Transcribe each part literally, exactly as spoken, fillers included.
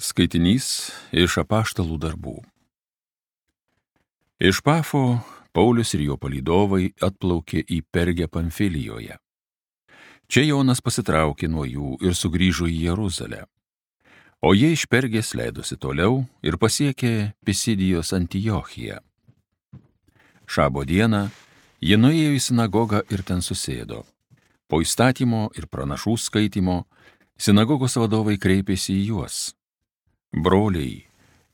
Skaitinys iš Apaštalų darbų. Iš Pafo Paulius ir jo palydovai atplaukė į Pergę Pamfilijoje. Čia Jonas pasitraukė nuo jų ir sugrįžo į Jeruzalę. O jie iš Pergės leidosi toliau ir pasiekė Pisidijos Antiochiją. Šabo dieną jie nuėjo į sinagogą ir ten susėdo. Po įstatymo ir pranašų skaitymo sinagogos vadovai kreipėsi į juos. Broliai,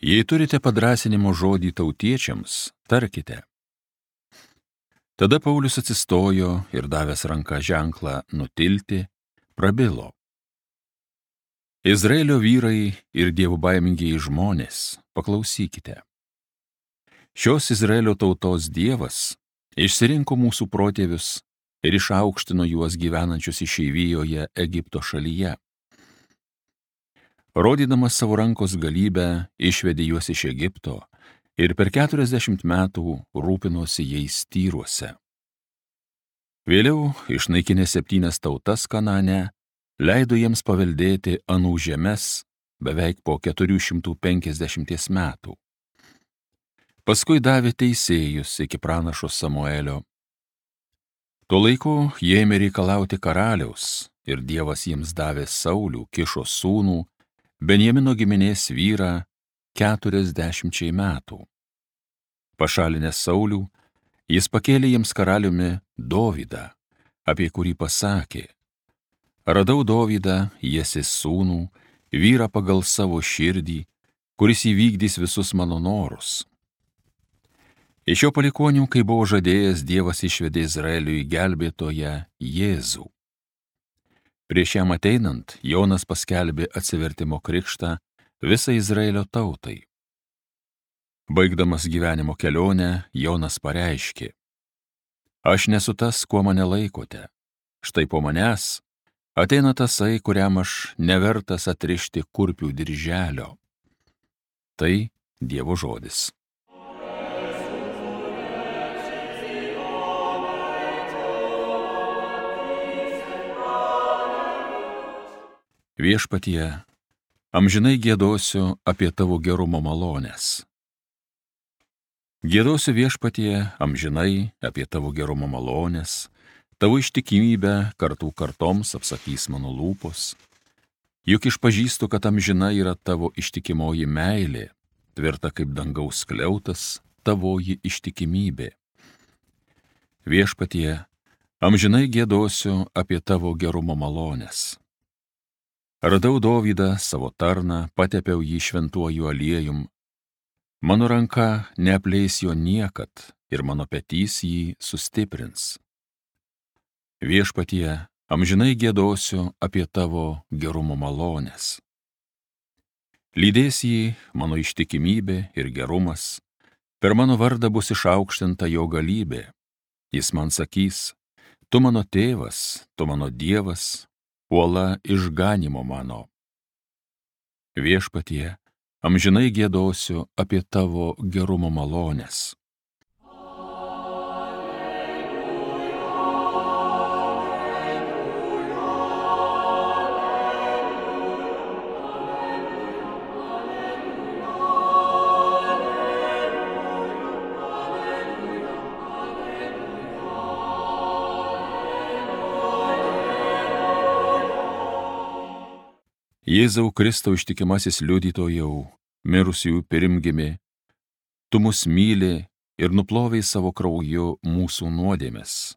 jei turite padrąsinimo žodį tautiečiams, tarkite. Tada Paulius atsistojo ir davęs ranką ženklą nutilti, prabilo. Izraelio vyrai ir dievobaimingieji žmonės, paklausykite. Šios Izraelio tautos Dievas išsirinko mūsų protėvius ir išaukštino juos gyvenančius išeivijoje Egipto šalyje. Rodydamas savo rankos galybę, išvedė juos iš Egipto ir per keturiasdešimt metų rūpinosi jais Tyruose. Vėliau, išnaikinę septynias tautas Kanane, leido jiems paveldėti anų žemes beveik po keturių šimtų penkiasdešimties metų. Paskui davė teisėjus iki pranašo Samuelio. Tuo laiku jie ėmė reikalauti karaliaus ir Dievas jiems davė Saulių, Kišo sūnų, Benjamino giminės vyrą keturiasdešimčiai metų. Pašalinęs Saulių, jis pakėlė jiems karaliumi Dovydą, apie kurį pasakė: radau Dovydą, Jesės sūnų, vyrą pagal savo širdį, kuris įvykdys visus mano norus. Iš jo palikuonių, kai buvo žadėjęs, Dievas išvedė Izraeliui gelbėtoją Jėzų. Prieš jam ateinant, Jonas paskelbė atsivertimo krikštą visai Izraelio tautai. Baigdamas gyvenimo kelionę, Jonas pareiškė: aš nesu tas, kuo mane laikote. Štai po manęs ateina tasai, kuriam aš nevertas atrišti kurpių dirželio. Tai Dievo žodis. Viešpatie, amžinai giedosiu apie tavo gerumo malonės. Giedosiu Viešpatie amžinai apie tavo gerumo malonės, tavo ištikimybę kartų kartoms apsakys mano lūpos. Juk išpažįstu, kad amžina yra tavo ištikimoji meilė, tvirta kaip dangaus skliautas tavoji ištikimybė. Viešpatie, amžinai giedosiu apie tavo gerumo malonės. Radau Dovydą, savo tarną, patepiau jį šventuoju aliejum. Mano ranka neapleis jo niekad ir mano petys jį sustiprins. Viešpatie, amžinai giedosiu apie tavo gerumo malonės. Lydės jį mano ištikimybė ir gerumas, per mano vardą bus išaukštinta jo galybė. Jis man sakys: tu mano tėvas, tu mano Dievas, uola išganimo mano. Viešpatie, amžinai giedosiu apie tavo gerumo malonės. Jėzau Kristau ištikimasis liudytojau, mirusiųjų pirmgimi, tu mus myli ir nuplovei savo krauju mūsų nuodėmes.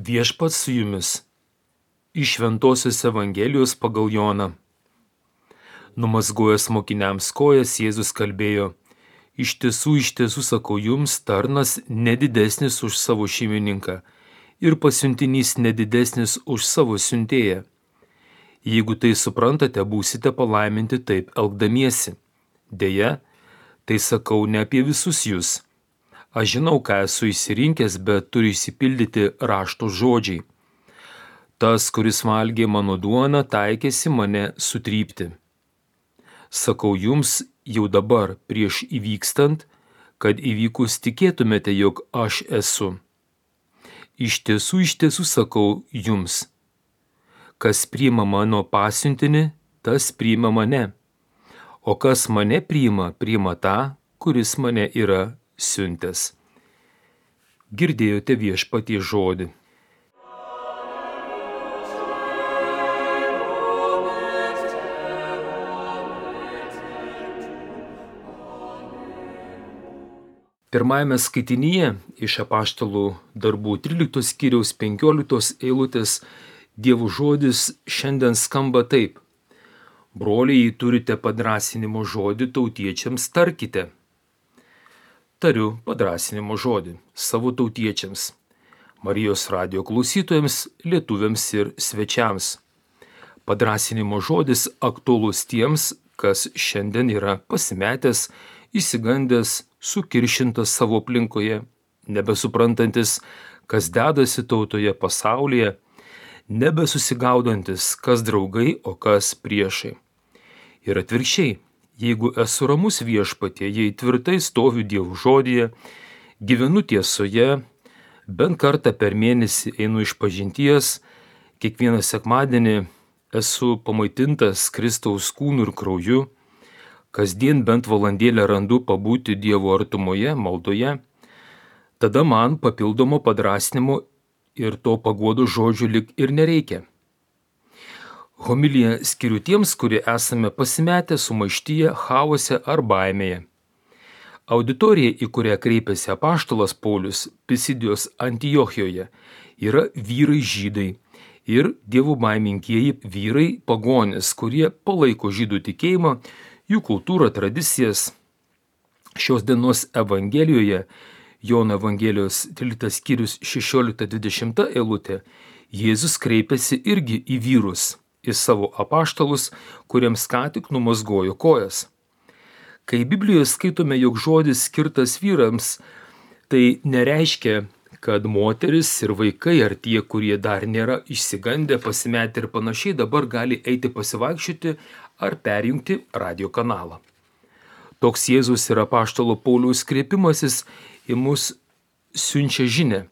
Viešpats su jumis. Iš Šventosios Evangelijos pagal Joną. Numazgojęs mokiniams kojas, Jėzus kalbėjo: iš tiesų, iš tiesų sakau jums, tarnas nedidesnis už savo šeimininką ir pasiuntinys nedidesnis už savo siuntėją. Jeigu tai suprantate, būsite palaiminti taip elgdamiesi. Deja, tai sakau ne apie visus jūs. Aš žinau, ką esu išsirinkęs, bet turi išsipildyti rašto žodžiai. Tas, kuris valgė mano duoną, taikėsi mane sutrypti. Sakau jums jau dabar, prieš įvykstant, kad įvykus tikėtumėte, jog aš esu. Iš tiesų, iš tiesų sakau jums, kas priima mano pasiuntinį, tas priima mane, o kas mane priima, priima tą, kuris mane yra siuntęs. Girdėjote Viešpaties žodį. Pirmajame skaitinyje iš Apaštalų darbų tryliktos skyriaus penkioliktos eilutės Dievo žodis šiandien skamba taip. Broliai, jei turite padrąsinimo žodį tautiečiams, tarkite. Tariu padrąsinimo žodį savo tautiečiams, Marijos radijo klausytojams, lietuviams ir svečiams. Padrąsinimo žodis aktuolus tiems, kas šiandien yra pasimetęs, išsigandęs, sukiršintas savo aplinkoje, nebesuprantantis, kas dedasi tautoje pasaulyje, nebesusigaudantis, kas draugai, o kas priešai. Ir atvirkščiai, jeigu esu ramus Viešpatie, jei tvirtai stoviu Dievo žodyje, gyvenu tiesoje, bent kartą per mėnesį einu išpažinties, kiekvieną sekmadienį esu pamaitintas Kristaus kūnu ir krauju, kasdien bent valandėlę randu pabūti Dievo artumoje, maldoje, tada man papildomo padrąsinimo ir to paguodo žodžių lik ir nereikia. Homiliją skiriu tiems, kurie esame pasimetę sumaištyje, chaose ar baimėje. Auditorija, į kurią kreipėsi apaštalas Paulius Pisidijos Antiochijoje, yra vyrai žydai ir dievų baimingieji vyrai pagonys, kurie palaiko žydų tikėjimą, jų kultūrą, tradicijas. Šios dienos Evangelijoje, Jono Evangelijos tryliktas skyrius šešiolikta dvidešimta eilutė, Jėzus kreipiasi irgi į vyrus, į savo apaštalus, kuriems ką tik numazgojo kojas. Kai Biblijoje skaitome, jog žodis skirtas vyrams, tai nereiškia, kad moteris ir vaikai ar tie, kurie dar nėra išsigandę, pasimetę ir panašiai, dabar gali eiti pasivaikščioti ar perjungti radio kanalą. Toks Jėzus ir apaštalo Pauliaus kreipimasis į mus siunčia žinią,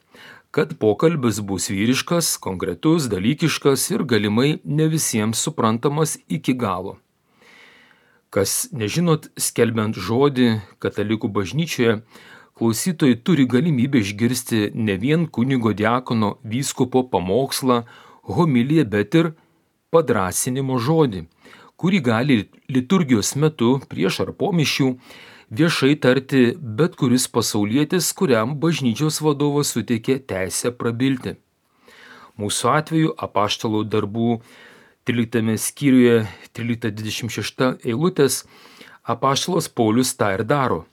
kad pokalbis bus vyriškas, konkretus, dalykiškas ir galimai ne visiems suprantamas iki galo. Kas nežinot, skelbiant žodį katalikų bažnyčioje, klausytojai turi galimybę išgirsti ne vien kunigo diakono vyskupo pamokslą, homiliją, bet ir padrąsinimo žodį, kurį gali liturgijos metu prieš ar po mišių viešai tarti bet kuris pasaulietis, kuriam bažnyčios vadovas suteikė teisę prabilti. Mūsų atveju apaštalų darbų tryliktame skyriuje trylikta dvidešimt šešta eilutės apaštalas Paulius tą ir daro.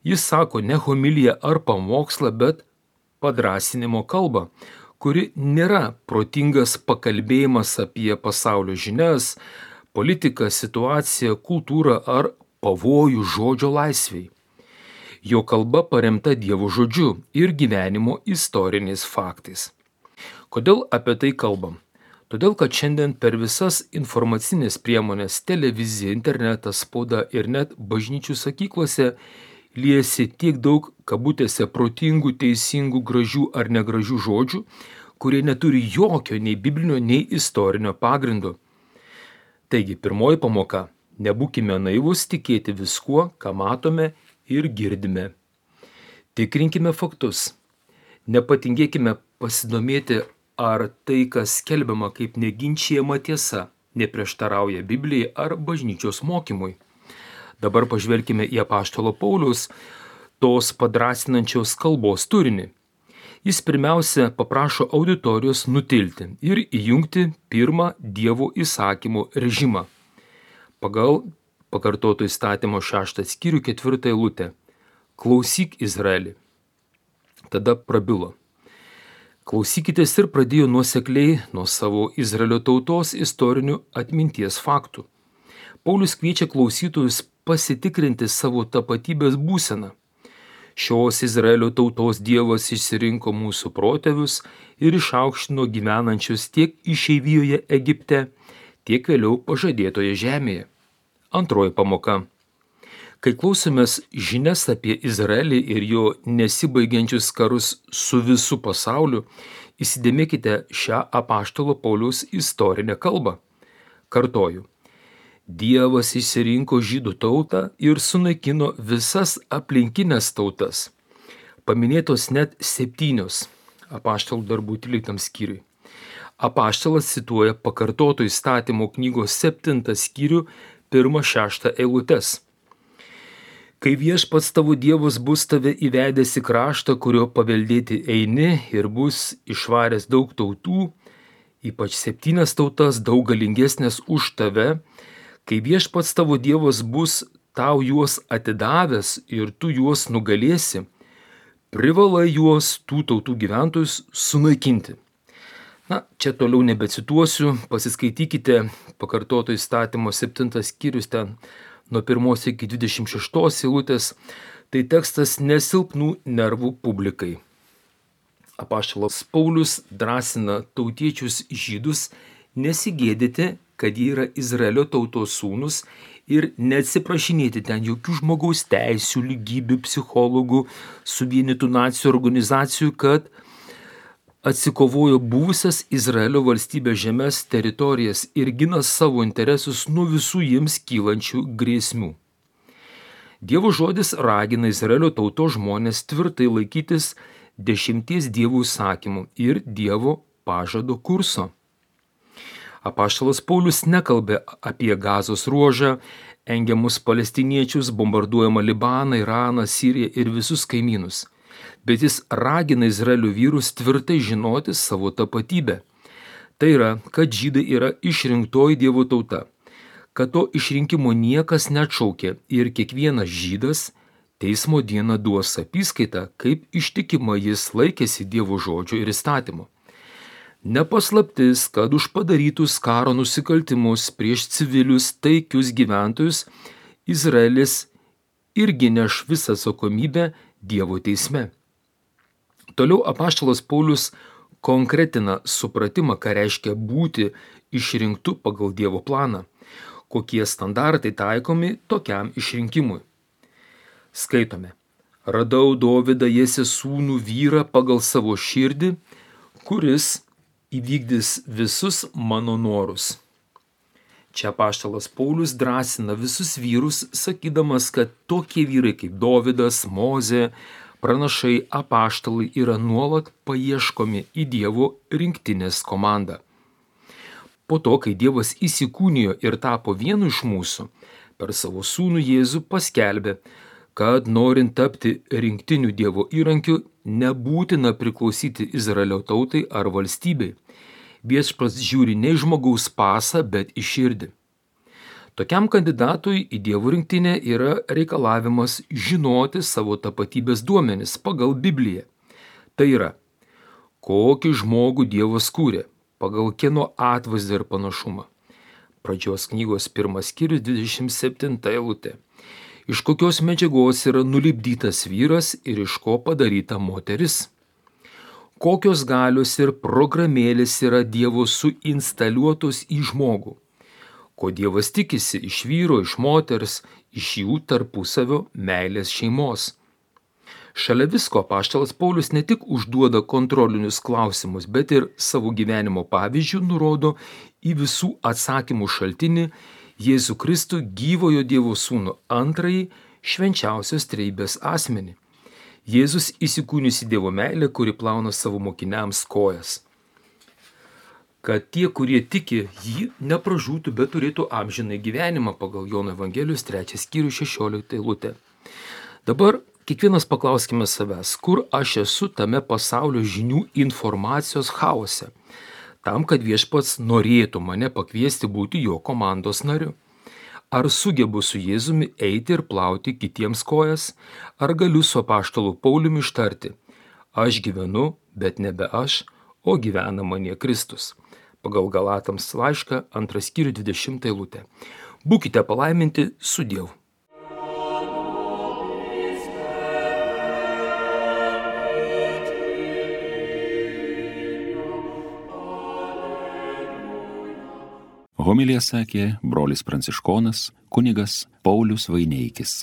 Jis sako ne homiliją ar pamokslą, bet padrąsinimo kalbą, kuri nėra protingas pakalbėjimas apie pasaulio žinias, politiką, situaciją, kultūrą ar pavojų žodžio laisvei. Jo kalba paremta Dievo žodžiu ir gyvenimo istoriniais faktais. Kodėl apie tai kalbam? Todėl, kad šiandien per visas informacinės priemonės, televizija, internetas, spauda ir net bažnyčių sakyklose liejasi tiek daug kabutėse protingų, teisingų, gražių ar negražių žodžių, kurie neturi jokio nei biblinio, nei istorinio pagrindo. Taigi, pirmoji pamoka – nebūkime naivus tikėti viskuo, ką matome ir girdime. Tikrinkime faktus. Nepatingėkime pasidomėti, ar tai, kas skelbiama kaip neginčijama tiesa, neprieštarauja Biblijai ar bažnyčios mokymui. Dabar pažvelkime į apaštalo Pauliaus tos padrąsinančios kalbos turinį. Jis pirmiausia paprašo auditorijos nutilti ir įjungti pirmą Dievo įsakymų režimą. Pagal pakartoto įstatymo šeštą skyrių ketvirtą eilutę. Klausyk, Izraeli. Tada prabilo. Klausykitės ir pradėjo nuosekliai nuo savo Izraelio tautos istorinių atminties faktų. Paulius kviečia klausytojus pasitikrinti savo tapatybės būseną. Šios Izraelio tautos Dievas išsirinko mūsų protėvius ir išaukštino gyvenančius tiek išeivijoje Egipte, tiek vėliau pažadėtoje žemėje. Antroji pamoka. Kai klausomės žinias apie Izraelį ir jo nesibaigiančius karus su visu pasauliu, įsidėmėkite šią apaštalo Pauliaus istorinę kalbą. Kartoju. Dievas išsirinko žydų tautą ir sunaikino visas aplinkinės tautas. Paminėtos net septynios apaštalų darbų tryliktam skyriui. Apaštalas cituoja pakartoto įstatymo knygos septintą skyrių pirmą šeštą eilutes. Kai viešpats tavo Dievas bus tave įvedęs į kraštą, kurio paveldėti eini ir bus išvaręs daug tautų, ypač septynias tautas daug galingesnės už tave, kai viešpats tavo Dievas bus tau juos atidavęs ir tu juos nugalėsi, privalai juos tų tautų gyventojus sunaikinti. Na, čia toliau nebecituosiu, pasiskaitykite pakartoto įstatymo septintas skyrius ten nuo pirmos iki dvidešimt šeštos eilutės, tai tekstas nesilpnų nervų publikai. Apaštalas Paulius drąsina tautiečius žydus nesigėdyti, kad jie yra Izraelio tautos sūnus ir neatsiprašinėti ten jokių žmogaus teisių, lygybių, psichologų, suvienytų nacijų organizacijų, kad atsikovojo buvusias Izraelio valstybės žemės teritorijas ir gina savo interesus nuo visų jiems kylančių grėsmių. Dievo žodis ragina Izraelio tautos žmonės tvirtai laikytis dešimties dievų įsakymų ir Dievo pažado kurso. Apaštalas Paulius nekalbė apie Gazos ruožą, engiamus palestiniečius, bombarduojamą Libaną, Iraną, Siriją ir visus kaimynus, bet jis ragina Izraelio vyrus tvirtai žinoti savo tapatybę. Tai yra, kad žydai yra išrinktoji Dievo tauta, kad to išrinkimo niekas neatšaukė ir kiekvienas žydas teismo dieną duos apyskaitą, kaip ištikima jis laikėsi Dievo žodžio ir įstatymo. Nepaslaptis, kad už padarytus karo nusikaltimus prieš civilius taikius gyventojus Izraelis irgi neš visą atsakomybę Dievo teisme. Toliau apaštalas Paulius konkretina supratimą, ką reiškia būti išrinktu pagal Dievo planą, kokie standartai taikomi tokiam išrinkimui. Skaitome. Radau Dovydą Jesės sūnų vyrą pagal savo širdį, kuris įvykdys visus mano norus. Čia apaštalas Paulius drąsina visus vyrus, sakydamas, kad tokie vyrai kaip Dovydas, Mozė, pranašai, apaštalai yra nuolat paieškomi į Dievo rinktinės komandą. Po to, kai Dievas įsikūnijo ir tapo vienu iš mūsų, per savo sūnų Jėzų paskelbė, kad norint tapti rinktinių Dievo įrankiu, nebūtina priklausyti Izraelio tautai ar valstybei. Viešpats žiūri ne į žmogaus pasą, bet į širdį. Tokiam kandidatui į Dievo rinktinę yra reikalavimas žinoti savo tapatybės duomenis pagal Bibliją. Tai yra, kokį žmogų Dievas kūrė, pagal kieno atvaizdą ir panašumą. Pradžios knygos pirmas skyrius dvidešimt septinta eilutė. Iš kokios medžiagos yra nulipdytas vyras ir iš ko padaryta moteris. Kokios galios ir programėlės yra Dievo suinstaliuotos į žmogų. Ko Dievas tikisi iš vyro, iš moters, iš jų tarpusavio meilės šeimos. Šalia visko apaštalas Paulius ne tik užduoda kontrolinius klausimus, bet ir savo gyvenimo pavyzdžių nurodo į visų atsakymų šaltinį Jėzų Kristų gyvojo Dievo sūnų antrąjį švenčiausios trejybės asmenį. Jėzus įsikūnijusi Dievo meilę, kuri plauna savo mokiniams kojas. Kad tie, kurie tiki, jį nepražūtų, bet turėtų amžinai gyvenimą pagal Jono Evangelijos trečias skyrius šešioliktą eilutę. Dabar kiekvienas paklauskime savęs, kur aš esu tame pasaulio žinių informacijos chaose, tam, kad viešpats norėtų mane pakviesti būti jo komandos nariu. Ar sugebu su Jėzumi eiti ir plauti kitiems kojas, ar galiu su apaštalu Pauliumi ištarti, aš gyvenu, bet nebe aš, o gyvena manie Kristus. Pagal Galatams laišką antras skyrius dvidešimtą eilutę. Būkite palaiminti su Dievu. Homiliją sakė brolis pranciškonas kunigas Paulius Vaineikis.